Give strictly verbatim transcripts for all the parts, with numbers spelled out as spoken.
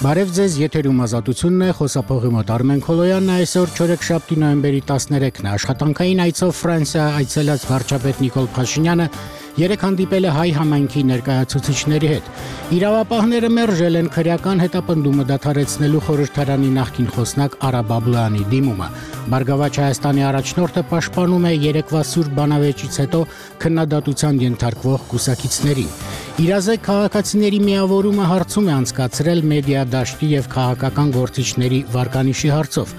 Բարև ձեզ, եթերում ազատությունն է, խոսափողի մոտ Արմեն Քոլոյանն է, այսօր չորեքշաբթի նոյեմբերի տասներեքն է, աշխատանքային այցով Ֆրանսիա այցելած վարչապետ Նիկոլ Փաշինյանը երեկ հանդիպել է հայ համայնքի ներկայացուցիչների հետ։ Իրավապահները մերժել են քրեական հետապնդումը դադարեցնելու խորհրդարանի նախկին խոսնակ Արա Բաբլոյանի դիմումը։ Բարգավաճ Հայաստանի առաջնորդը պաշտպանում է երեկվա սուրբ բանավեճից հետո քննադատության ենթարկվող կուսակիցներին։ Իրազեկ քաղաքացիների միավորումը հարցում է անցկացրել մեդիա դաշտի եւ քաղաքական գործիչների վարկանիշի հարցով։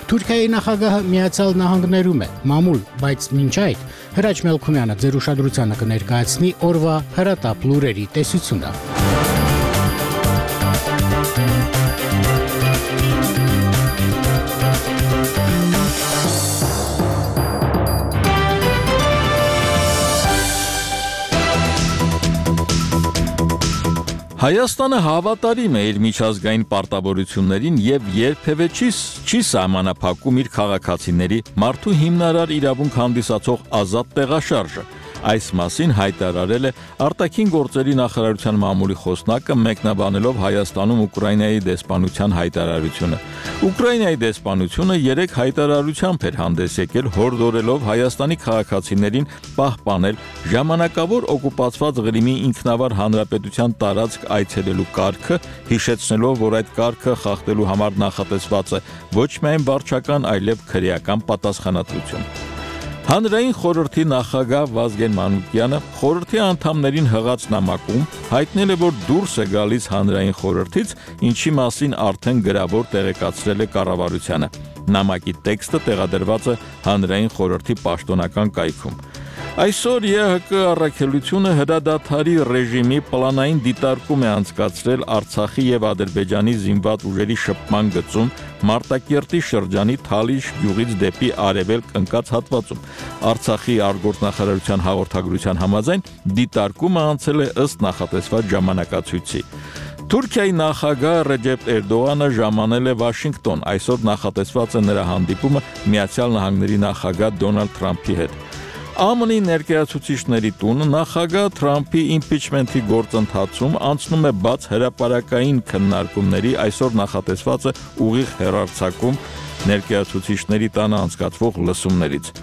Թուրքիայի նախագահը Միացյալ Նահանգներում է, մամուլ, բայց մինչ այդ Հրաչ Մելքումյանը ձեր ուշադրությանը կներկայացնի օրվա հրատապ լուրերի տեսությունը։ Հայաստանը հավատարիմ է իր միջազգային պարտավորություններին եւ երբևէ չի չի սահմանափակում իր քաղաքացիների մարդու հիմնարար իրավունք հանդիսացող ազատ տեղաշարժը։ Այս մասին հայտարարել է արտաքին գործերի նախարարության մամուլի խոսնակը մեկնաբանելով Հայաստանում Ուկրաինայի դեսպանության հայտարարությունը։ Ուկրաինայի դեսպանությունը երեք հայտարարությամբ էր հանդես եկել հորդորելով Հայաստանի քաղաքացիներին պահպանել ժամանակավոր օկուպացված Ղրիմի ինքնավար հանրապետության տարածք այցելելու կարգը, հիշեցնելով, որ այդ կարգը խախտելու համար նախատեսված է ոչ միայն վարչական, այլև քրեական պատասխանատվություն։ Հանրային խորհրդի նախագահ Վազգեն Մանուկյանը խորհրդի անդամներին հղած նամակում հայտնել է, որ դուրս է գալիս հանրային խորհրդից, ինչի մասին արդեն գրավոր տեղեկացրել է կառավարությանը։ Նամակի տեքստը տեղադրված է հանրային խորհրդի պաշտոնական կայքում։ Այսօր Է Հ Կ առաքելությունը հրադադարի ռեժիմի պլանային դիտարկում է անցկացրել Արցախի եւ Ադրբեջանի զինված ուժերի շփման գծում Մարտակերտի շրջանի Թալիշ գյուղից դեպի արևելք ընկած հատվածում։ Արցախի արտգործնախարարության հաղորդագրության համաձայն դիտարկումը անցել է ըստ նախատեսված ժամանակացույցի։ Թուրքիայի նախագահ Ռեջեփ Էրդողանը ժամանել է Վաշինգտոն, այսօր նախատեսված է նրա հանդիպումը Միացյալ Նահանգների նախագահ Դոնալդ Թրամփի հետ։ Ա Մ Ն-ի ներկայացուցիչների տուն նախագահ Թրամփի իմպիչմենթի գործընթացում անցնում է բաց հրապարակային քննարկումների, այսօր նախատեսված է ուղիղ հեռարձակում ներկայացուցիչների տանը անցկացվող լսումներից։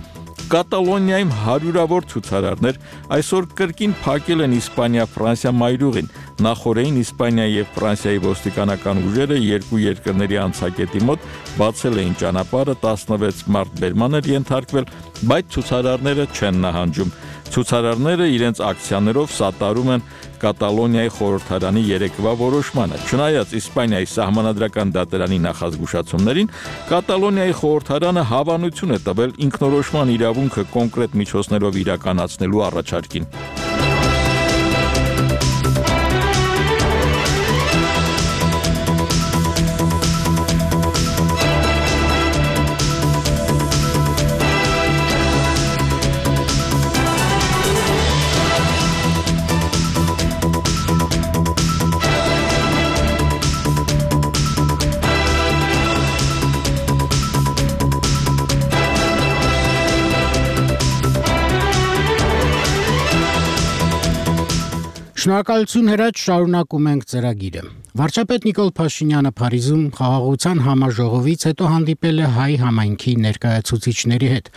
Կատալոնիայում հարյուրավոր ցուցարարներ այսօր կրկին փակել են Իսպանիա-Ֆրանսիա մայրուղին։ Նախորդին Իսպանիայի եւ Ֆրանսիայի ոստիկանական ուժերը երկու երկրների անցակետի մոտ բացել էին ճանապարհը, տասնվեց մարդ բերման էր ենթարկվել, բայց ցուցարարները չեն նահանջում։ Ցուցարարները իրենց ակցիաներով սատարում են Կատալոնիայի խորհրդարանի երեկվա որոշմանը։ Չնայած Իսպանիայի սահմանադրական դատարանի նախազգուշացումներին, Կատալոնիայի խորհրդարանը հավանություն է տվել ինքնորոշման իրավունքը կոնկրետ միջոցներով իրականացնելու առաջարկին։ Շնորհակալություն Հրաչ, շարունակում ենք ծրագիրը։ Վարչապետ Նիկոլ Փաշինյանը Փարիզում խաղաղության համաժողովից հետո հանդիպել է հայ համայնքի ներկայացուցիչների հետ։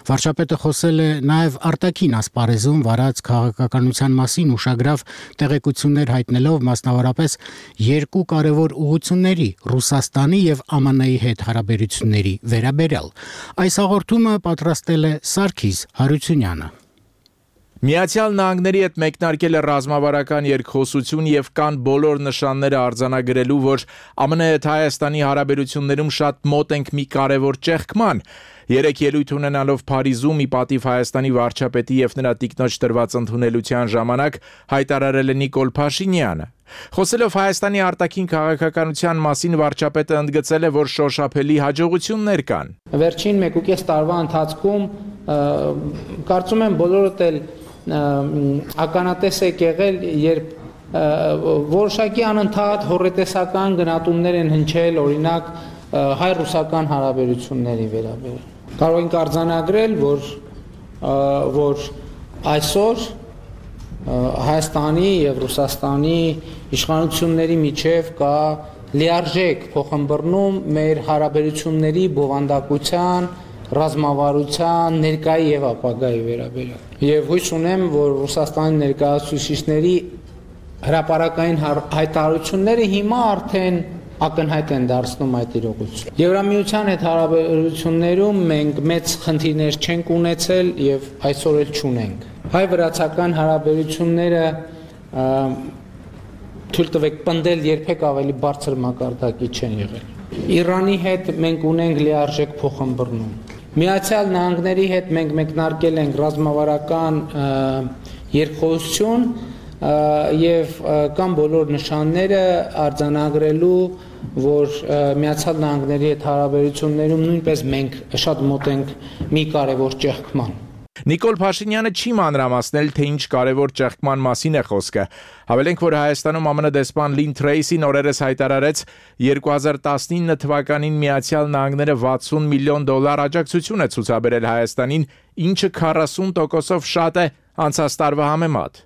Վարչապետը խոսել է նաև արտաքին ասպարեզում վարած քաղաքականության մասին ուշագրավ տեղեկություններ հայտնելով մասնավորապես երկու կարևոր ուղղությունների՝ Ռուսաստանի եւ Ա Մ Ն-ի հետ հարաբերությունների վերաբերյալ։ Այս հաղորդումը պատրաստել է Սարգիս Հարությունյանը։ Միացյալ Նահանգների հետ մեկնարկել է ռազմավարական երկխոսություն եւ կան բոլոր նշանները արձանագրելու, որ Ա Մ Ն հետ Հայաստանի հարաբերություններում շատ մոտ ենք մի կարևոր ճեղքման։ Երեք ելույթ ունենալով Փարիզում ի պատիվ Հայաստանի վարչապետի եւ նրա տիկնոջ տրված ընդունելության ժամանակ հայտարարել է Նիկոլ Փաշինյանը։ Խոսելով Հայաստանի արտաքին քաղաքականության մասին, վարչապետը ընդգծել է, որ շոշափելի հաջողություններ կան։ Վերջին մեկուկես տարվա ընթացքում կարծում եմ բոլորդ էլ ականատես եք եղել, երբ որոշակի անընդհատ հոռետեսական գնահատումներ են հնչել, օրինակ հայ-ռուսական հարաբերությունների վերաբերյալ։ Կարող ենք արձանագրել, որ որ այսօր Հայաստանի եւ Ռուսաստանի իշխանությունների միջև կա լիարժեք փոխհմբռնում մեր հարաբերությունների բովանդակության, ռազմավարության, ներկայի եւ ապագայի վերաբերյալ։ Եվ հույս ունեմ, որ Ռուսաստանի ներկայացուցիչների հրապարակային հայտարարությունները հիմա արդեն ակնհայտ են դարձնում այդ իրողությունը։ Եվրամիության հետ հարաբերություններում մենք մեծ խնդիրներ չենք ունեցել եւ այսօր էլ չունենք։ Հայ-վրացական հարաբերությունները թույլ տվեք պնդել երբեք ավելի բարձր մակարդակի չեն եղել։ Իրանի հետ մենք ունենք լիարժեք փոխհմբռնում։ Միացյալ Նահանգների հետ մենք մեկնարկել ենք ռազմավարական երկխոսություն եւ կան բոլոր նշանները արձանագրելու, որ Միացյալ Նահանգների հետ հարաբերություններում նույնպես մենք շատ մոտ ենք մի կարևոր ճեղքման։ Նիկոլ Փաշինյանը չի մանրամասնել, թե ինչ կարևոր ճեղքման մասին է խոսքը։ Հավելենք, որ Հայաստանում ԱՄՆ դեսպան Լին Թրեյսին օրերս հայտարարեց երկու հազար տասնինը թվականին Միացյալ Նահանգները վաթսուն միլիոն դոլար աջակցություն է ցուցաբերել Հայաստանին, ինչը քառասուն տոկոսով շատ է անցած տարվա համեմատ։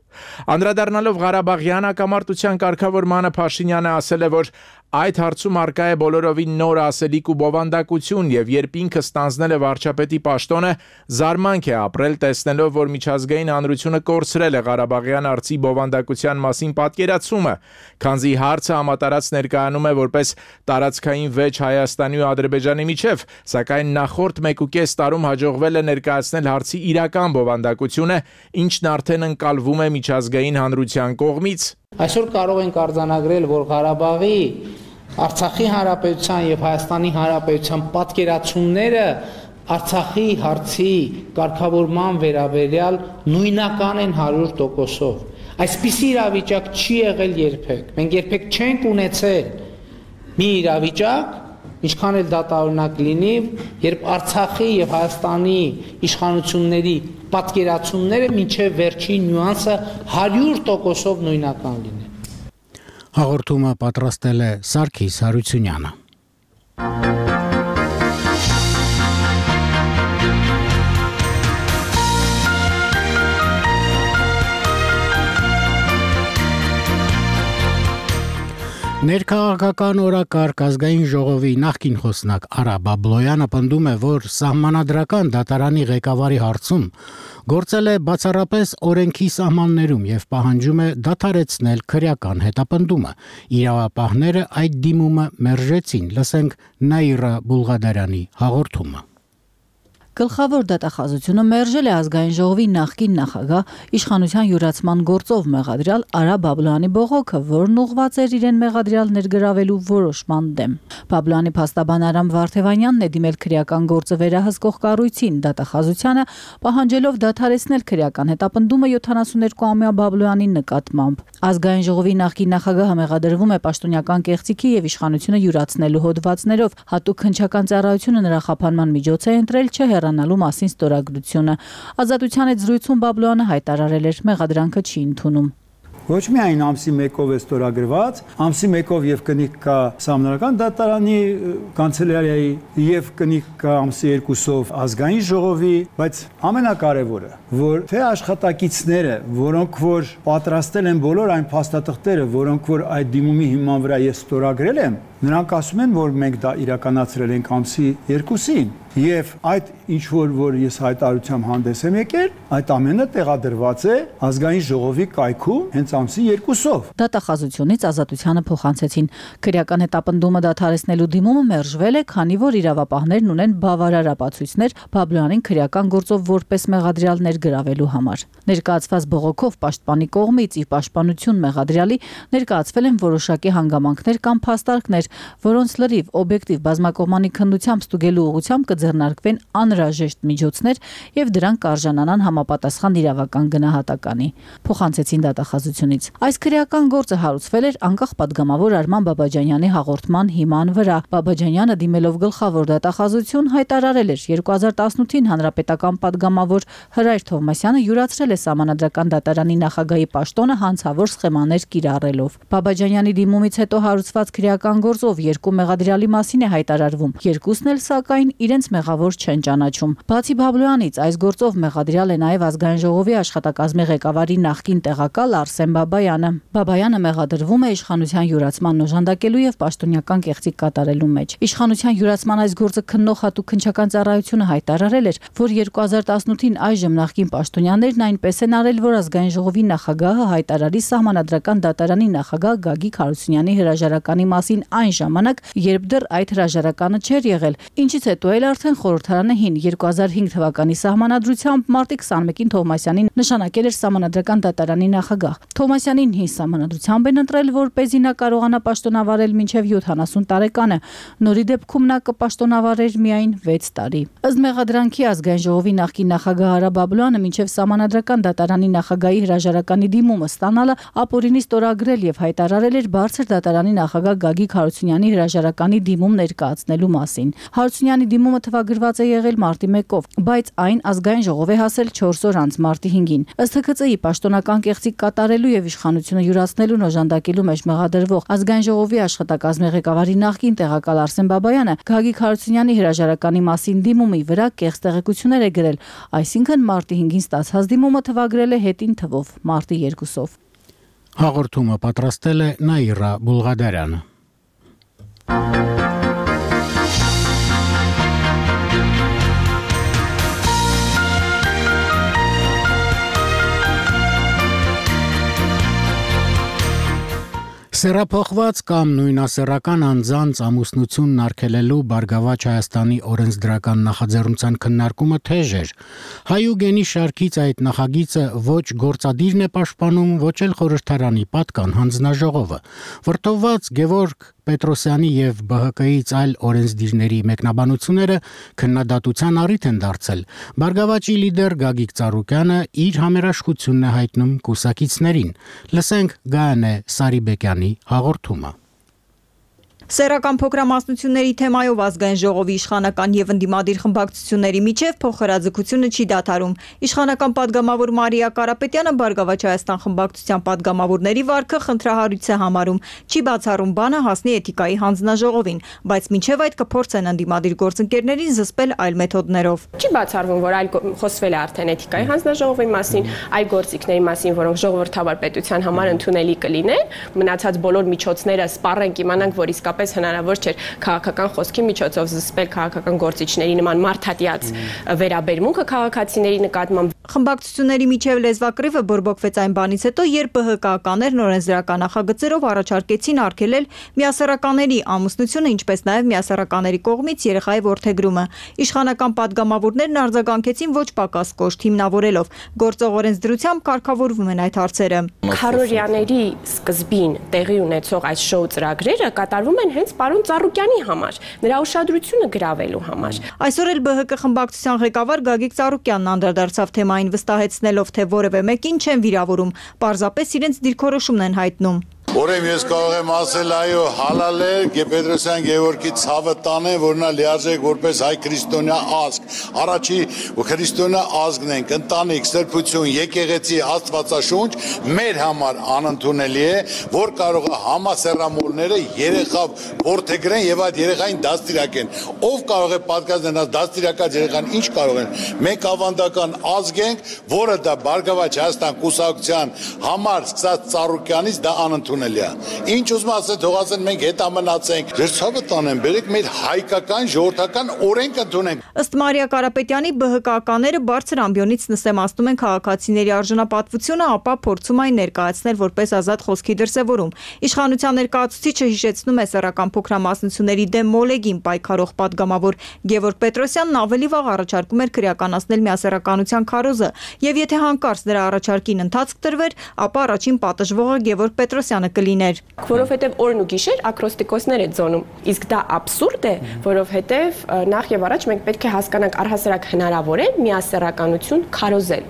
Անդրադառնալով Ղարաբաղյան հակամարտության կարգավորմանը Փաշինյանը ասել է, որ այդ հարցում արկա է բոլորովին նոր ասելիք ու բովանդակություն եւ երբ ինքը ստանձնել է վարչապետի պաշտոնը, զարմանք է ապրել տեսնելով, որ միջազգային հանրությունը կորցրել է Ղարաբաղյան արծի բովանդակության մասին պատկերացումը, քանզի հարցը համատարած ներկայանում է որպես տարածքային վեճ Հայաստանի ու Ադրբեջանի միջև, սակայն նախորդ մեկուկես տարում հաջողվել է ներկայացնել հարցի իրական բովանդակությունը, ինչն արդեն ընկալվում է միջազգային հանրության կողմից։ Այսօր կարող ենք արձանագրել, որ Ղարաբաղի, Արցախի Հանրապետության եւ Հայաստանի Հանրապետության պատկերացումները Արցախի հարցի կարգավորման վերաբերյալ նույնական են հարյուր տոկոսով։ Այսպիսի իրավիճակ չի եղել երբեք։ Մենք երբեք չենք ունեցել մի իրավիճակ, ինչքան էլ դա տարօրինակ լինի, երբ Արցախի եւ Հայաստանի իշխանությունների պատկերացումները մինչև վերջին նյուանսը հարյուր տոկոսով նույնական լինեն։ Հաղորդումը պատրաստել է Սարգիս Հարությունյանը։ Ներքաղաքական օրակարգ ազգային ժողովի նախկին խոսնակ Արա Բաբլոյանը պնդում է, որ սահմանադրական դատարանի ղեկավարի հարցում գործել է բացառապես օրենքի սահմաններում եւ պահանջում է դադարեցնել քրեական հետապնդումը։ Իրավապահները այդ դիմումը մերժեցին։ Լսենք Նաիրա Բուլղադարյանի հաղորդումը։ Գլխավոր դատախազությունը մերժել է ազգային ժողովի նախկին նախագահ իշխանության յուրացման գործով մեղադրյալ Արա Բաբլոյանի բողոքը, որն ուղղված էր իրեն մեղադրյալ ներգրավելու որոշման դեմ։ Բաբլոյանի փաստաբան Արամ Վարդևանյանն է դիմել քրեական գործը վերահսկող կառույցին դատախազությանը, պահանջելով դադարեցնել քրեական հետապնդումը յոթանասունյոթ-ամյա Բաբլոյանի նկատմամբ։ Ազգային ժողովի նախկին նախագահը մեղադրվում է պաշտոնյական կեղծիքի եւ իշխանությունը յուրացնելու հոդվածներով, հատուկ հնչական ծառայությունը նրա խափանման միջոց է ընտրել չէ հեռանալու մասին ստորագրությունը։ Ազատության հետ զրույցում Բաբլոյանը հայտարարել էր, մեղադրանքը չի ընդունում։ Ոչ միայն ամսի մեկով է ստորագրված, ամսի մեկով եւ կնիկ կա սահմանադրական դատարանի կանցելարիայի եւ կնիկ կա ամսի երկուսով ազգային ժողովի, բայց ամենակարևորը, որ թե աշխատակիցները, որոնք որ պատրաստել են բոլոր այն փաստաթղթերը, որոնք որ այդ դիմումի հիման վրա ես ստորագրել եմ, նրանք ասում են, որ մենք դա իրականացրել ենք ամսի երկուսին եւ այդ ինչ որ որ ես հայտարարությամբ հանդես եմ եկել, այդ ամենը տեղադրված է ազգային ժողովի կայքում հենց ամսի երկուսով։ Դատախազությունից ազատությանը փոխանցեցին։ Քրեական հետապնդումը դադարեցնելու դիմումը մերժվել է, քանի որ իրավապահներն ունեն բավարար ապացույցներ Բաբլոյանին քրեական գործով որպես մեղադրյալ ներգրավելու համար։ Ներկայացված բողոքով պաշտպանի կողմից ի պաշտպանություն մեղադրյալի ներկայացվել են որոշակի հանգամանքներ կամ փաստարկներ, որոնց լրիվ օբյեկտիվ բազմակողմանի քննությամբ ստուգելու ուղղությամբ կձեռնարկվեն անհրաժեշտ միջոցներ եւ դրանք կարժանանան համապատասխան իրավական գնահատականի։ Փոխանցեցին դատախազությունից։ Այս քրեական գործը հարուցվել էր անկախ падգամավոր Արման Բաբաջանյանի հաղորդման հիման վրա։ Բաբաջանյանը դիմելով գլխավոր դատախազություն հայտարարել էր երկու հազար տասնութին հանրապետական падգամավոր Հրայր Թովմասյանը յուրացրել է սահմանադրական դատարանի նախագահի պաշտոնը հանցավոր սխեմաներ կիրառելով։ Բաբաջանյանի դիմումից հետո հարուցված քրեական գործով երկու մեղադրյալի մասին է հայտարարվում։ Երկուսն էլ սակայն իրենց մեղավոր չեն ճանաչում։ Բացի Բաբլոյանից, այս գործով մեղադրյալ է նաև ազգային ժողովի աշխատակազմի ղեկավարի նախկին տեղակալ Արսեն Բաբայանը։ Բաբայանը մեղադրվում է իշխանության յուրացման օժանդակելու եւ պաշտոնյական կեղծիք կատարելու մեջ։ Իշխանության յուրացման այս գործը քննող հատուկ քննչական ծառայությունը հայտարարել էր, որ երկու հազար տասնութին այժմ նախկին պաշտոնյաներն այնպես են արել, որ ազգային ժողովի նախագահը հայտարարի Սահմանադրական դատարանի նախագահ Գագիկ Հարությունյանի հրաժարականի մասին այն ժամանակ, երբ դեռ այդ հրաժարականը չէր եղել, ինչից հետո էլ արդեն խորհրդարանը հին երկու հազար հինգ թվականի սահմանադրությամբ մարտի քսաներկին Թովմասյանին նշանակել էր Սահմանադրական դատարանի նախագահ։ Թովմասյանին հին սահմանադրությամբ են ընտրել, որպեսզի նա կարողանա պաշտոնավարել մինչև յոթանասուն տարեկանը։ Նորի դեպքում նա կպաշտոնավարեր միայն վեց տարի։ Ըստ մեղադրանքի ազգային ժողովի նախկին նախագահ Արա Բաբլոյանը մինչև Սահմանադրական դատարանի նախագահի հրաժարականի դիմումը ստանալը ապօրինի ստորագրել եւ հայտարարել էր բարձր դատարանի նախագահ Գագիկ Հարությունյանի հրաժարականի դիմում ներկայացնելու մասին։ Հարությունյանի դիմումը թվագրված է եղել մարտի մեկով, բայց այն ազգային ժողով է հասել չորս օր անց մարտի հինգին։ Ըստ Հ Ք Ծ-ի պաշտոնական կեղծիք կատարելու եւ իշխանությունը յուրացնելու օժանդակելու մեջ մեղադրվող ազգային ժողովի աշխատակազմի ղեկավարի նախկին տեղակալ Արսեն Բաբայանը Գագիկ Հարությունյանի հրաժարականի մասին դիմումի վրա կեղծ տեղեկություններ է գրել, այսինքն մարտի հինգին ստացած դիմումը թվագրել է հետին թվով մարտի երկուսով։ Հաղորդումը պատրաստել է Նաիրա Բուլղադարյանը։ Սեռափոխված կամ նույնասեռական անձանց ամուսնությունն արգելելու Բարգավաճ Հայաստանի օրենսդրական նախաձեռնության քննարկումը թեժ էր։ Հայուգենի շարքից այդ նախագիծը ոչ գործադիրն է պաշտպանում, ոչ էլ խորհրդարանի պատկան հանձնաժողովը։ Վրդովված Գևորգ Պետրոսյանի եւ Բ Հ Կ-ից այլ օրենսդիրների մեկնաբանությունները քննադատության առիթ են դարձել։ Բարգավաճի լիդեր Գագիկ Ծառուկյանը իր համերաշխությունն է հայտնում կուսակիցներին։ Լսենք Գայանե Սարիբեկյանի հաղորդումը։ Սեռական փոքրամասնությունների թեմայով ազգային ժողովի իշխանական եւ ընդդիմադիր խմբակցությունների միջև փոխհրաձգությունը չի դադարում։ Իշխանական падգամավոր Մարիա Կարապետյանը Բարգավաճ Հայաստան խմբակցության падգամավորների վարքը խնդրահարույց է համարում, չի բացառում բանը հասնի էթիկայի հանձնաժողովին, բայց մինչև այդ կփորձեն ընդդիմադիր գործընկերներին զսպել այլ մեթոդներով։ Չի բացառվում, որ այլ խոսվել է արդեն էթիկայի հանձնաժողովի մասին, այլ գործիքների մասին, որոնք ժողովրդավար պետության համար ընդունելի կլինեն, մնացած բոլոր միջոցները սպառենք, իմանանք, որ իսկապես հնարավոր չէր քաղաքական խոսքի միջոցով զսպել քաղաքական գործիչների նման մարդատիած վերաբերմունքը քաղաքացիների նկատմամբ։ Խմբակցությունների միջև լեզվակռիվը բորբոքվեց այն բանից հետո, երբ Բ Հ Կ-ականներն օրենսդրական նախագծերով առաջարկեցին արգելել միասեռականների ամուսնությունը, ինչպես նաև միասեռականների կողմից երեխայի որդեգրումը։ Իշխանական падգամավորներն արձագանքեցին ոչ պակաս կոշտ, հիմնավորելով գործող օրենսդրությամբ կարգավորվում են այդ հարցերը։ Քարորյաների սկզբին տեղի ունեցող այս շոու ծրագրերը կատարվում են հենց պարոն Ծառուկյանի համար, նրա ուշադրությունը գրավելու համար։ Այսօր էլ Բ Հ Կ խմբակցության ղեկավար Գագիկ Ծառուկյանն անդրադարձավ թեմային, վստահեցնելով, թե որևէ մեկին չեն վիրավորում, պարզապես իրենց դիրքորոշումն են հայտնում։ Ուրեմն ես կարող եմ ասել, այո, հալալ է Պետրոսյան Գևորգի ցավը տանեն, որ նա լիարժեք որպես հայ քրիստոնյա ազգ, առաջի քրիստոնյա ազգն ենք, ընտանիք, սրբություն, եկեղեցի, Աստվածաշունչ մեր համար անընդունելի է, որ կարող է համասեռամոլները երեխա որդեգրեն եւ այդ երեխային դաստիարակեն։ Ով կարող է պատկազնել դաստիարակած երեխան, ինչ կարող են։ Մենք ավանդական ազգ ենք, որը դա Բարգավաճ Հայաստան կուսակցության համար սկսած Ծառուկյանից դա անընդունելի։ Ինչ ուզում ասել, թող ասեն մենք հետամնացենք, դերցավը տանեն, բերեք մեր հայկական ժողովրդական օրենք ընդունենք։ Ըստ Մարիա Կարապետյանի Բ Հ Կ-ականները բարձր ամբիոնից նսեմացնում են քաղաքացիների արժանապատվությունը, ապա փորձում այն ներկայացնել որպես ազատ խոսքի դրսևորում։ Իշխանության ներկայացուցիչը հիշեցնում է սեռական փոքրամասնությունների դեմ մոլեգին պայքարող падգամավոր Գևորգ Պետրոսյանն ավելի վաղ առաջարկում էր քրեականացնել միասեռականության քարոզը, եւ եթե հանկարծ դրա առաջարկին ընթացք տրվեր, ապա առաջին պատժվողը Գևորգ Պետրոսյանը կլիներ։ Որովհետև օրն ու գիշեր ակրոստիկոսներ է ձոնում։ Իսկ դա աբսուրդ է, որովհետև նախ եւ առաջ մենք պետք է հասկանանք առհասարակ հնարավոր է միասեռականություն քարոզել։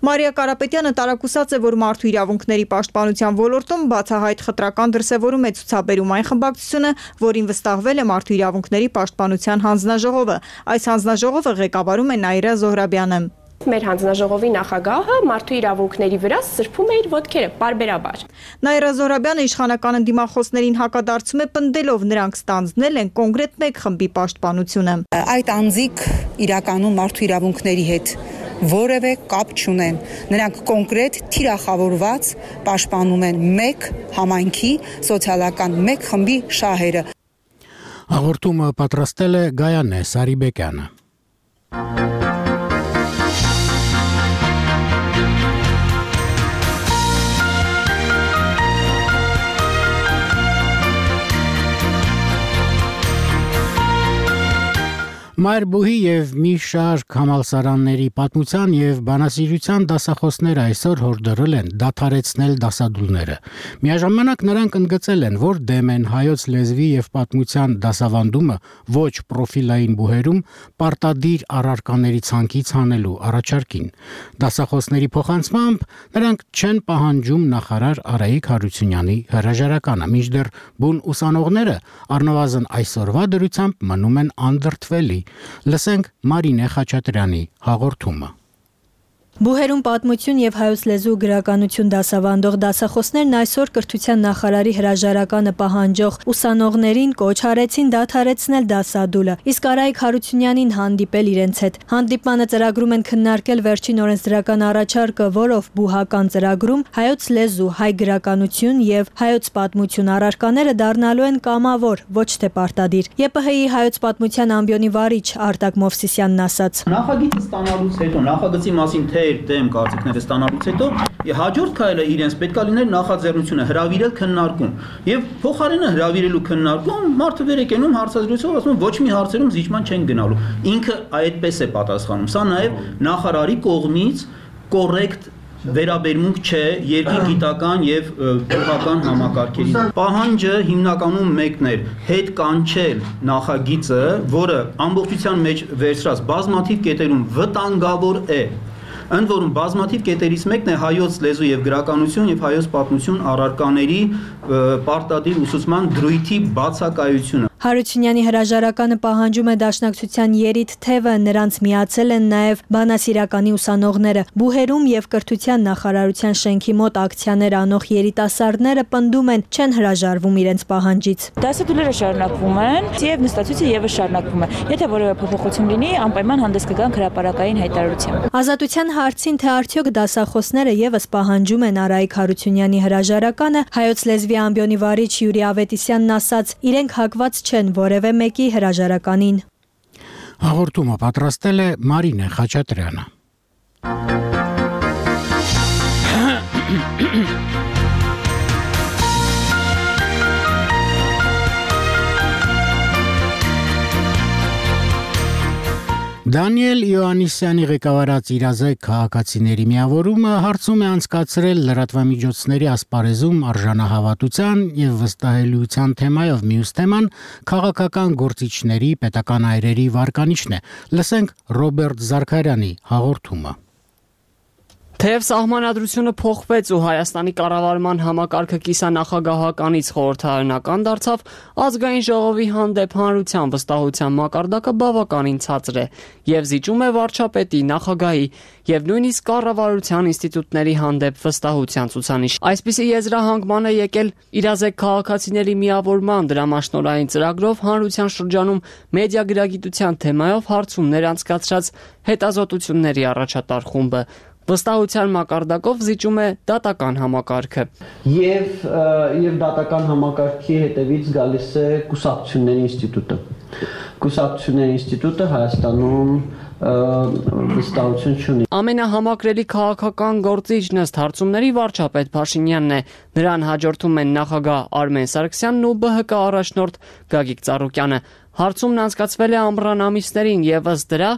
Մարիա Կարապետյանը տարակուսած է, որ մարդու իրավունքների պաշտպանության ոլորտում բացահայտ խտրական դրսևորում է ցուցաբերում այն խմբակցությունը, որին վստահվել է մարդու իրավունքների պաշտպանության հանձնաժողովը։ Այս հանձնաժողովը ղեկավարում է Նաիրա Զոհրաբյանը։ Մեր հանձնաժողովի նախագահը մարդու իրավունքների վրա սրբում է իր ոտքերը պարբերաբար։ Նաիրա Զոհրաբյանը իշխանական ընդդիմախոսներին հակադարձում է պնդելով նրանք ստանձնել են կոնկրետ մեկ խմբի պաշտպանությունը։ Այդ անձիկ իրականում մարդու իրավունքների հետ որևէ կապ չունեն։ Նրանք կոնկրետ թիրախավորված պաշտպանում են մեկ համայնքի սոցիալական մեկ խմբի շահերը։ Հաղորդումը պատրաստել է Գայանե Սարիբեկյանը։ Մայրբուհի եւ մի շարք համալսարանների պատմության եւ բանասիրության դասախոսները այսօր հորդորել են դադարեցնել դասադուլները։ Միաժամանակ նրանք ընդգծել են, որ դեմ են հայոց լեզվի եւ պատմության դասավանդումը ոչ պրոֆիլային բուհերում պարտադիր առարկաների ցանկից հանելու առաջարկին։ Դասախոսների փոխանցմամբ նրանք չեն պահանջում նախարար Արայիկ Հարությունյանի հրաժարականը, մինչդեռ բուն ուսանողները առնվազն այսօրվա դրությամբ մնում են անդրդվելի։ Լսենք Մարինե Խաչատրյանի հաղորդումը։ Բուհերում պատմություն եւ հայոց լեզու գրականություն դասավանդող դասախոսներն այսօր կրթության նախարարի հրաժարականը պահանջող ուսանողներին կոչ արեցին դադարեցնել դասադուլը, իսկ Արայիկ Հարությունյանին հանդիպել իրենց հետ։ Հանդիպմանը ծրագրում են քննարկել վերջին օրենսդրական առաջարկը, որով բուհական ծրագրում հայոց լեզու, հայ գրականություն եւ հայոց պատմություն առարկաները դառնալու են կամավոր, ոչ թե պարտադիր։ ԵՊՀ-ի հայոց պատմության ամբիոնի վարիչ Արտակ Մովսիսյանն ասաց. Նախագիծը ստանալուց հետո, նախագծի մասին թե դեմ կարծիքները ստանալուց հետո հաջորդ քայլը իրենց պետք է լիներ նախաձեռնությունը հրավիրել քննարկում եւ փոխարենը հրավիրելու քննարկում մարդը վեր է կենում հարցազրույցով ասում ոչ մի հարցերում զիջման չեն գնալու ինքը այդպես է պատասխանում սա նաեւ նախարարի կողմից կոռեկտ վերաբերմունք չէ երկրի գիտական եւ բուհական համակարգերին պահանջը հիմնականում մեկն էր հետ կանչել նախագիծը որը ամբողջության մեջ վերցրած բազմաթիվ կետերում վտանգավոր է Ընդ որում բազմաթիվ կետերից մեկն է հայոց լեզու եւ գրականություն եւ հայոց պատմություն առարկաների պարտադիր ուսուցման դրույթի բացակայությունը Հարությունյանի հրաժարականը պահանջում է Դաշնակցության երիտ թևը, նրանց միացել են նաև բանասիրականի ուսանողները։ Բուհերում եւ կրթության նախարարության շենքի մոտ ակցիաներ անող երիտասարդները պնդում են, չեն հրաժարվում իրենց պահանջից։ Դասադուլերը շարունակվում են, եւ նստացույցը եւս շարունակվում է։ Եթե որևէ փոփոխություն լինի, անպայման հանդես կգանք հրապարակային հայտարարությամբ։ Ազատության հարցին, թե արդյոք դասախոսները եւս պահանջում են Արայիկ Հարությունյանի հրաժարականը, հայոց լեզվի ամբիոնի վարիչ Յուրի Ավետիսյանն ասաց, իրենք հակված չեն որևէ մեկի հրաժարականին։ Հաղորդումը պատրաստել է Մարինե Խաչատրյանը։ Դանիել Իոաննիսյանի ղեկավարած իրազեկ քաղաքացիների միավորումը հարցում է անցկացրել լրատվամիջոցների ասպարեզում արժանահավատության եւ վստահելիության թեմայով մյուս թեման քաղաքական գործիչների պետական այրերի վարկանիշն է։ Լսենք Ռոբերտ Զարքարյանի հաղորդումը։ Թեև սահմանադրությունը փոխվեց ու Հայաստանի կառավարման համակարգը կիսանախագահականից խորհրդարանական դարձավ, ազգային ժողովի հանդեպ հանրության վստահության մակարդակը բավականին ցածր է եւ զիջում է վարչապետի, նախագահի եւ նույնիսկ կառավարության ինստիտուտների հանդեպ վստահության ցուցանիշ։ Այսպիսի եզրահանգման է եկել իրազեկ քաղաքացիների միավորման դրամաշնորհային ծրագրով հանրության շրջանում մեդիա գրագիտության թեմայով հարցումներ անցկացրած հետազոտությունների առաջատար խումբը։ Վստահության մակարդակով զիջում է դատական համակարգը։ Եվ եւ դատական համակարգի հետևից գալիս է կուսակցությունների ինստիտուտը։ Կուսակցությունների ինստիտուտը Հայաստանում վստահություն չունի։ Ամենահամակրելի քաղաքական գործիչն ըստ հարցումների վարչապետ Փաշինյանն է։ Նրան հաջորդում են նախագահ Արմեն Սարգսյանն ու ԲՀԿ առաջնորդ Գագիկ Ծառուկյանը։ Հարցումն անցկացվել է ամռան ամիսներին եւ ըստ դրա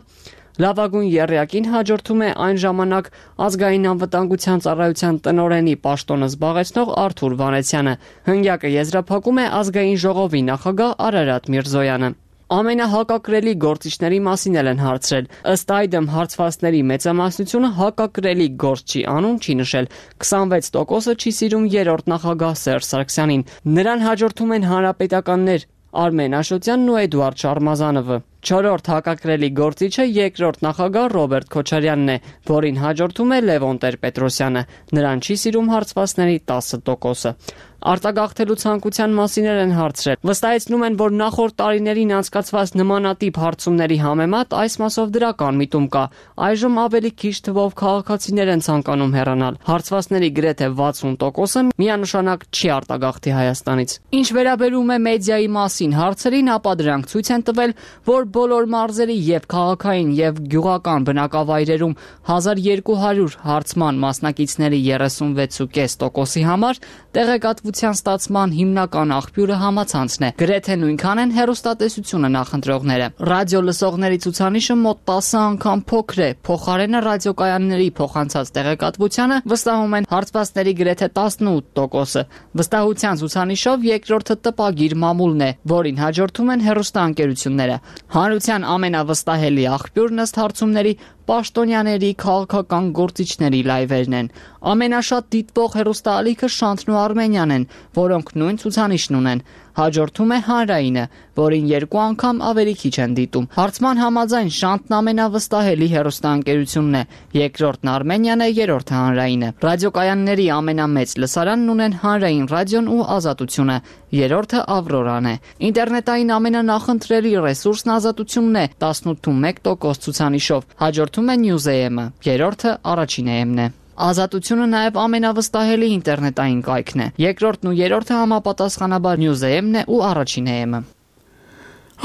լավագույն եռյակին հաջորդում է այն ժամանակ ազգային անվտանգության ծառայության տնօրենի պաշտոնը զբաղեցնող Արթուր Վանեցյանը։ Հնգյակը եզրափակում է ազգային ժողովի նախագահ Արարատ Միրզոյանը։ Ամենահակակրելի գործիչների մասին էլ են հարցրել։ Ըստ այդմ հարցվածների մեծամասնությունը հակակրելի գործ չի անում, չի նշել։ քսանվեց տոկոսը չի սիրում երրորդ նախագահ Սերժ Սարգսյանին։ Նրան հաջորդում են հանրապետականներ Արմեն Աշոտյանն ու Էդուարդ Շարմազանովը։ Չորրորդ հակակրելի գործիչը երկրորդ նախագահ Ռոբերտ Քոչարյանն է, որին հաջորդում է Լևոն Տեր-Պետրոսյանը։ Նրան չի սիրում հարցվածների տասը տոկոսը։ Արտագաղթելու ցանկության մասին են հարցրել։ Վստահեցնում են, որ նախորդ տարիներին անցկացված նմանատիպ հարցումների համեմատ այս մասով դրական միտում կա։ Այժմ ավելի քիչ թվով քաղաքացիներ են ցանկանում հեռանալ։ Հարցվածների գրեթե վաթսուն տոկոսը միանշանակ չի արտագաղթի Հայաստանից։ Ինչ վերաբերում է մեդիայի մասին հարցերին, ապա դրանք ցույց են տվել, որ բոլոր մարզերի եւ քաղաքային եւ գյուղական բնակավայրերում հազար երկու հարյուր հարցման մասնակիցների երեսունվեց կόμμα պենս տոկոսի համար տեղեկատվության ստացման հիմնական աղբյուրը համացանցն է։ Գրեթե նույնքան են հեռուստատեսությունը նախընտրողները։ Ռադիո լսողների ցուցանիշը մոտ տասը անգամ փոքր է։ Փոխարենը ռադիոկայանների փոխանցած տեղեկատվությանը վստահում են հարցվածների գրեթե տասնութ տոկոսը։ Վստահության ցուցանիշով երկրորդը տպագիր մամուլն է, որին հաջորդում են հեռուստաընկերությունները։ Հանրության ամենավստահելի աղբյուրն ըստ հարցումների պաշտոնյաների, քաղաքական գործիչների լայվերն են։ Ամենաշատ դիտվող հեռուստաալիքը Շանթն ու Արմենիան են, որոնք նույն ցուցանիշն ունեն։ Հաջորդում է Հանրայինը, որին երկու անգամ ավելի քիչ են դիտում։ Հարցման համաձայն Շանթն ամենավստահելի հեռուստաընկերությունն է, երկրորդն Արմենիան է, երրորդը Հանրայինը։ Ռադիոկայանների ամենամեծ լսարանն ունեն Հանրային ռադիոն ու Ազատությունը, երրորդը Ավրորան է։ Ինտերնետային ամենանախընտրելի ռեսուրսն Ազատությունն է տասնութ մեկ տոկոս ցուցանիշով, հաջորդում է News.am-ը, երրորդը Առաջին էեմն է։ Ազատությունը նաև ամենավստահելի ինտերնետային կայքն է։ Երկրորդն ու երրորդը համապատասխանաբար News.am-ն է ու Առաջին էեմը։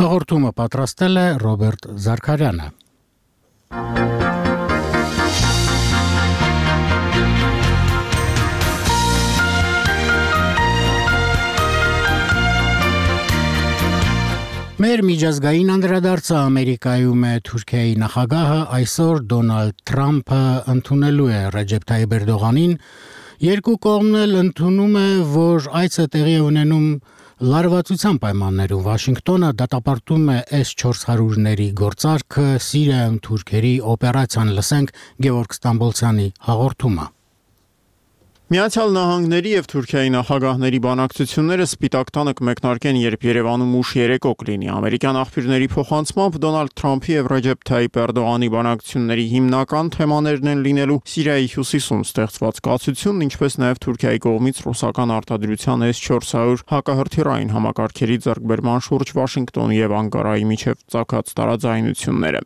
Հաղորդումը պատրաստել է Ռոբերտ Զարքարյանը։ Մեր միջազգային անդրադարձը Ամերիկայում է Թուրքիայի նախագահը այսօր Դոնալդ Թրամփը ընդունելու է Ռեջեփ Թայիփ Էրդողանին, երկու կողմն էլ ընդունում է, որ այցը տեղի է ունենում լարվածության պայմաններում։ Վաշինգտոնը դատապարտում է էս չորս հարյուրների գործարքը Սիրիայում թուրքերի օպերացիան, լսենք Գևորգ Ստամբոլցյանի հաղորդումը։ Միացյալ Նահանգների եւ Թուրքիայի նախագահների բանակցությունները Սպիտակ տանը կմեկնարկեն, երբ Երևանում ուշ երեկո կլինի։ Ամերիկյան աղբյուրների փոխանցմամբ Դոնալդ Թրամփի եւ Ռեջեփ Թայիփ Էրդողանի բանակցությունների հիմնական թեմաներն են լինելու Սիրիայի հյուսիսում ստեղծված կացությունն, ինչպես նաեւ Թուրքիայի կողմից ռուսական արտադրության էս չորս հարյուր հակահրթիռային համակարգերի ձեռքբերման շուրջ Վաշինգտոնի եւ Անկարայի միջև ծագած տարաձայնությունները։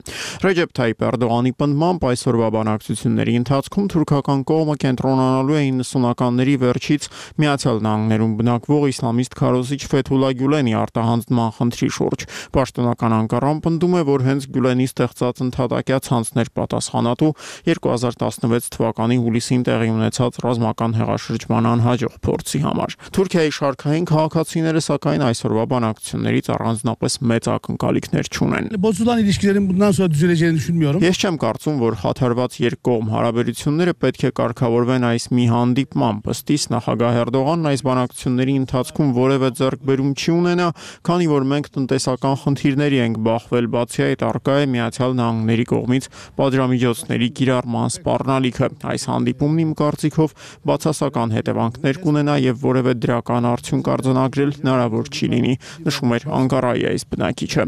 Ռեջեփ Թայիփ Էրդողանի պնդմամբ այսօրվա բանակցությունների ընթացքում թուրքական կողմը կենտրոնանալու է իննսունականների վերջից Միացյալ Նահանգներում բնակվող իսլամիստ քարոզիչ Ֆեթուլա Գյուլենի արտահանձնման խնդրի շուրջ։ Պաշտոնական Անկարան պնդում է, որ հենց Գյուլենի ստեղծած ընդհատակյա ցանցներ պատասխանատու երկու հազար տասնվեց թվականի հուլիսին տեղի ունեցած ռազմական հեղաշրջման անհաջող փորձի համար։ Թուրքիայի շարքային քաղաքացիները սակայն այսօրվա բանակցություններից առանձնապես մեծ ակնկալիքներ չունեն։ Ես չեմ կարծում, որ խաթարված երկկողմ հարաբերությունները պետք է կարգավորվեն այս մի հանդիպմամբ։ Ըստ իս նախագահ Էրդողանն այս բանակցությունների ընթացքում որևէ ձեռքբերում չի ունենա, քանի որ մենք տնտեսական խնդիրների ենք բախվել, բացի այդ առկա է Միացյալ Նահանգների կողմից պատժամիջոցների կիրառման սպառնալիքը։ Այս հանդիպումն իմ կարծիքով բացասական հետևանքներ կունենա եւ որևէ դրական արդյունք արձանագրել հնարավոր չի լինի, նշում էր Անկարայի այս բնակիչը։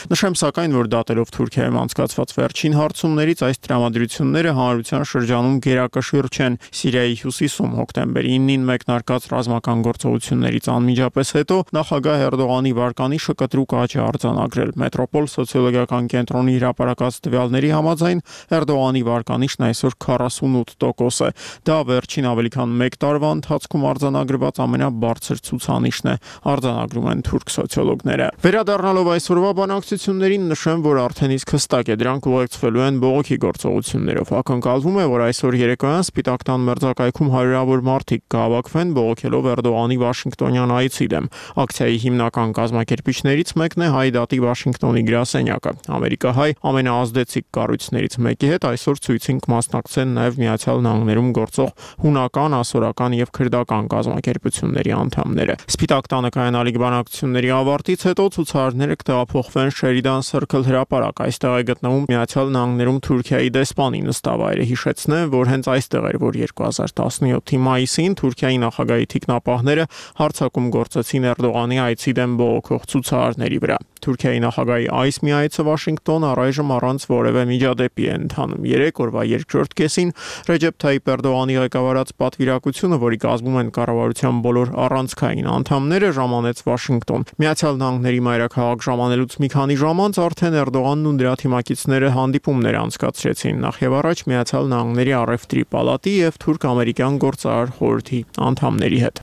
Նշեմ սակայն, որ դատելով Թուրքիայում անցկացված վերջին հարցումներից այս տրամադրությունները հանրության շրջանում գերակշիռ չեն։ Սիրիայի հյուսիսում հոկտեմբերի իննին մեկնարկած ռազմական գործողություններից անմիջապես հետո նախագահ Էրդողանի վարկանիշը կտրուկ աճ է արձանագրել։ Մետրոպոլ սոցիոլոգիական կենտրոնի հրապարակած տվյալների համաձայն Էրդողանի վարկանիշն այսօր քառասունութ տոկոս է։ Դա վերջին ավելի քան մեկ տարվա ընթացքում արձանագրված ամենաբարձր ցուցանիշն է, արձանագրում են թուրք սոցիոլոգները։ Վերադառնալով այսօրվա բանակցություններին, նշեմ, որ արդեն իսկ հստակ է, դրանք ուղեկցվելու են բողոքի գործողություններով։ Ակնկալվում է, որ այսօր երեկոյան Սպիտակ տան մերձակայքում հարյուրավոր մարդիկ կհավաքվեն բողոքելով Էրդողանի Վաշինգտոնյան այցի դեմ։ Ակցիայի հիմնական կազմակերպիչներից մեկն է Հայ դատի Վաշինգտոնի գրասենյակը։ Ամերիկահայ ամենաազդեցիկ կառույցներից մեկի հետ այսօր ցույցին կմասնակցեն նաև Միացյալ Նահանգներում գործող հունական, ասորական եւ քրդական կազմակերպությունների անդամները։ Սպիտակ տանը կայանալիք բանակցությունների ավարտից հետո ցուցարարները կտեղափոխվեն Sheridan Circle հրապարակ։ Այստեղ է գտնվում Միացյալ Նահանգներում Թուրքիայի դեսպանի նստավայրը։ Հիշեցնեմ, որ հենց այստեղ էր, որ երկու հազար տասնյոթի մայիսին Թուրքիայի նախագահի թիկնապահները հարձակում գործեցին Էրդողանի այցի դեմ բողոքող ցուցարարների վրա։ Թուրքիայի նախագահի այս մի այցը Վաշինգտոն առայժմ առանց որևէ միջադեպի է ընթանում։ Երեք օրվա երկրորդ կեսին Ռեջեփ Թայիփ Էրդողանի ղեկավարած պատվիրակությունը, որի կազմում են կառավարության բոլոր առանցքային անդամները, ժամանեց Վաշինգտոն։ Միացյալ Նահանգների մայրաքաղաք ժամանելուց մի քանի ժամ անց արդեն Էրդողանն ու նրա թիմակիցները հանդիպումներ անցկացրեցին նախ եւ առաջ Միացյալ Նահանգների առևտրի պալատի եւ թուրք-ամերիկյան գործարար խորհրդի անդամների հետ։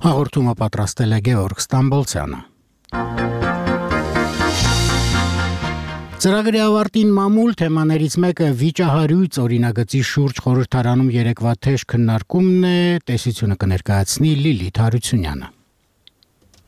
Հաղորդումը պատրաստել է Գեորգ Ստամբոլցյանը։ Ծրագրի ավարտին մամուլ թեմաներից մեկը վիճահարույց օրինագծի շուրջ խորհրդարանում երեկվա թեժ քննարկումն է, տեսությունը կներկայացնի Լիլիթ Հարությունյանը։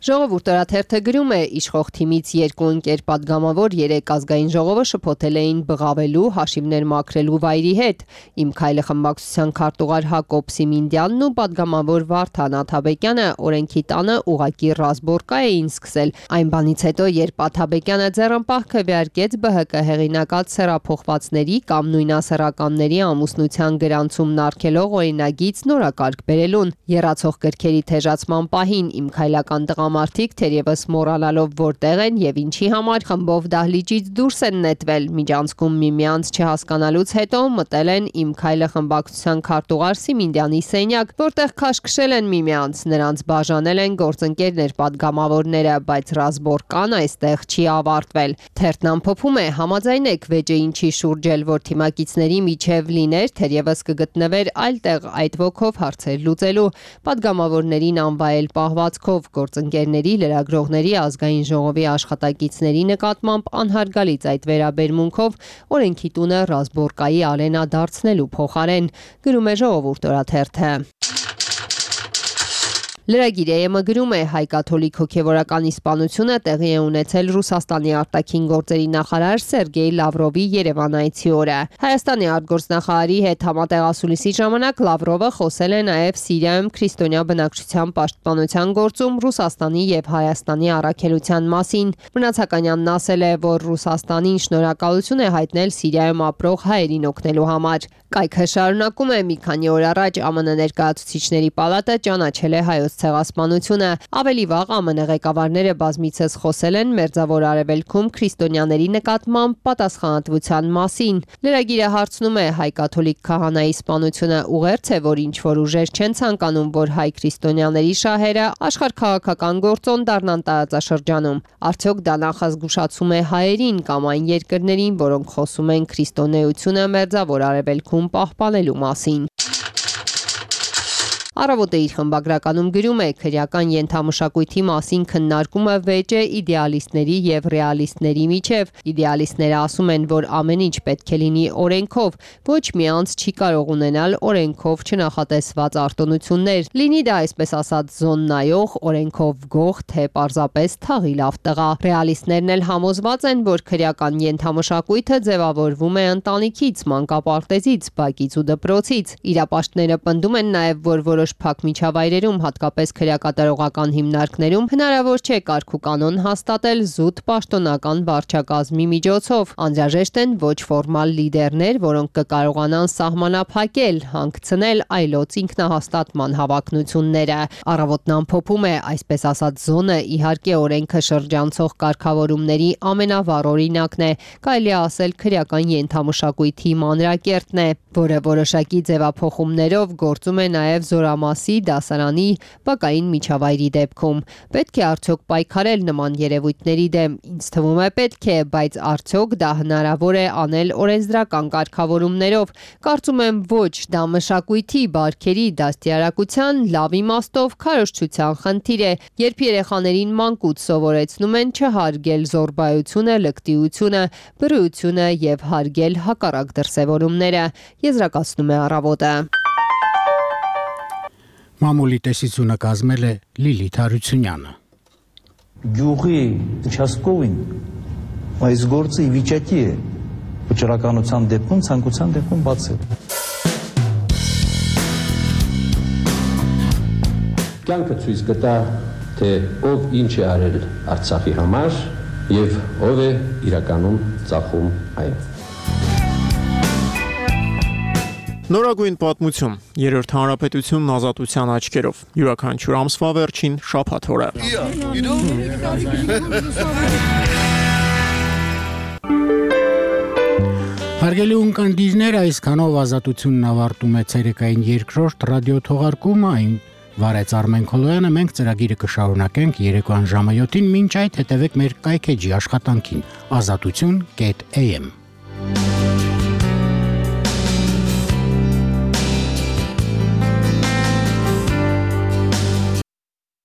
Ժողովուրդ օրաթերթը գրում է, իշխող թիմից երկու ընկեր падգամավոր երեք ազգային ժողովը շփոթել էին բղավելու, հաշիվներ մաքրելու վայրի հետ։ Իմ քայլը խմբակցության քարտուղար Հակոբ Սիմինդյանն ու падգամավոր Վարդան Աթաբեկյանը օրենքի տանը ուղակի ռազմորկա էին սկսել։ Այն բանից հետո, երբ Աթաբեկյանը ձեռնպահ քվեարկեց ԲՀԿ հեղինակած սեռափոխվածների կամ նույնասեռականների ամուսնության գրանցումն արգելող օրինագիծ նորակարգ բերելուն, եռացող գրքերի թեժացման պահին իմ քայլական տղա Մարդիկ թերևս մոռանալով որտեղ են եւ ինչի համար խմբով դահլիճից դուրս են նետվել, միջանցքում միմյանց չհասկանալուց հետո մտել են իմ քայլը խմբակցության քարտուղար Սիմինդյանի սենյակ, որտեղ քաշքշել են միմյանց, նրանց բաժանել են գործընկերներ падգամավորները, բայց ռազմորկան այստեղ չի ավարտվել։ Թերթն ամփոփում է, համաձայնեք վեճը ինչի շուրջ էլ որ թիմակիցների միջև լիներ, թերևս կգտնվեր այլ տեղ այդ ոգով հարցեր լուծելու, падգամավորներին անվայել պահվածքով գործընկեր լրագրողների ազգային ժողովի աշխատակիցների նկատմամբ անհարգալից այդ վերաբերմունքով օրենքի տունը ռազմորկայի արենա դարձնելու փոխարեն, գրում է Ժողովուրդ օրաթերթը։ Լրագիր ԵՄ գրում է, հայ-կաթոլիկ հոգևորական իսպանությունը տեղի է ունեցել Ռուսաստանի արտաքին գործերի նախարար Սերգեյ Լավրովի Երևան այցի օրը։ Հայաստանի արտգործնախարարի հետ համատեղասուլիսի ժամանակ Լավրովը խոսել է նաև Սիրիայում քրիստոնյա բնակչության պաշտպանության գործում Ռուսաստանի եւ Հայաստանի առաքելության մասին։ Մնացականյանն ասել է, որ Ռուսաստանին շնորհակալություն է հայտնել Սիրիայում ապրող հայերին օգնելու համար։ Կայքը շարունակում է, մի քանի օր առաջ ԱՄՆ ներկայացուցիչների պալատը ճանաչել է հայոց ցեղասպանությունը։ Ավելի վաղ ԱՄՆ ղեկավարները բազմիցս խոսել են Մերձավոր Արևելքում քրիստոնյաների նկատմամբ պատասխանատվության մասին։ Լրագիրը հարցնում է, հայ-կաթոլիկ քահանայի սպանությունը ուղերձ է, որ ինչ որ ուժեր չեն ցանկանում, որ հայ քրիստոնյաների շահերը աշխարհքաղաքական գործոն դառնան տարածաշրջանում։ Արդյոք դա նախազգուշացում է հայերին կամ այն երկրներին, որոնք խոսում են քրիստոնեությունը Մերձավոր Արևելքում պահպանելու մասին։ Առավոտը իր խմբագրականում գրում է, քրեական ենթամշակույթի մասին քննարկումը վեճ է իդեալիստների եւ ռեալիստների միջև։ Իդեալիստները ասում են, որ ամեն ինչ պետք է լինի օրենքով, ոչ մի անձ չի կարող ունենալ օրենքով չնախատեսված արտոնություններ։ Լինի դա այսպես ասած զոննայող, օրենքով գող, թե պարզապես թաղի լավ տղա։ Ռեալիստներն էլ համոզված են, որ քրեական ենթամշակույթը ձևավորվում է ընտանիքից, մանկապարտեզից, բակից ու դպրոցից։ Իրապաշտները պնդում են նաեւ, որ որոշ փակ միջավայրերում, հատկապես քրեակատարողական հիմնարկներում, հնարավոր չէ կարգ ու կանոն հաստատել զուտ պաշտոնական վարչակազմի միջոցով։ Անհրաժեշտ են ոչ ֆորմալ լիդերներ, որոնք կկարողանան սահմանափակել, հանգցնել այլոց ինքնահաստատման հավակնությունները։ Առավոտն ամփոփում է, այսպես ասած զոնը իհարկե օրենքը շրջանցող կարգավորումների ամենավառ օրինակն է, կարելի է ասել քրեական ենթամշակույթի մանրակերտն է, որը որոշակի ձևափոխումներով գործում է նաև զորամասի, դասարանի, բակային միջավայրի դեպքում։ Պետք է արդյոք պայքարել նման երևույթների դեմ։ Ինձ թվում է պետք է, բայց արդյոք դա հնարավոր է անել օրենսդրական կարգավորումներով։ Կարծում եմ ոչ, դա մշակույթի, բարքերի, դաստիարակության, լավ իմաստով քարոզչության խնդիր է, երբ երեխաներին մանկուց սովորեցնում են չհարգել զոռբայությունը, լկտիությունը, բռիությունը եւ հարգել հակառակ դրսևորումները, եզրակացնում է Առավոտը։ Մամուլի տեսությունը կազմել է Լիլիթ Հարությունյանը։ Գյուղի участковին այս գործը ի վիճակի է վճռականության դեպքում, ցանկության դեպքում բացել։ Կյանքը ցույց կտա, թե ով ինչ է արել Արցախի համար եւ ով է իրականում ծախում այն։ Նորագույն պատմություն. Երրորդ հանրապետությունն ազատության աչքերով։ Յուրաքանչյուր ամսվա վերջին շաբաթ օրը։ Հարգելի ունկնդիրներ, այսքանով ազատությունն ավարտում է ցերեկային երկրորդ ռադիո թողարկումը, այն վարեց Արմեն Քոլոյանը, մենք ծրագիրը կշարունակենք երեկոյան ժամը յոթին, մինչ այդ հետևեք մեր կայքեջի աշխատանքին ազատություն կետ էյ էմ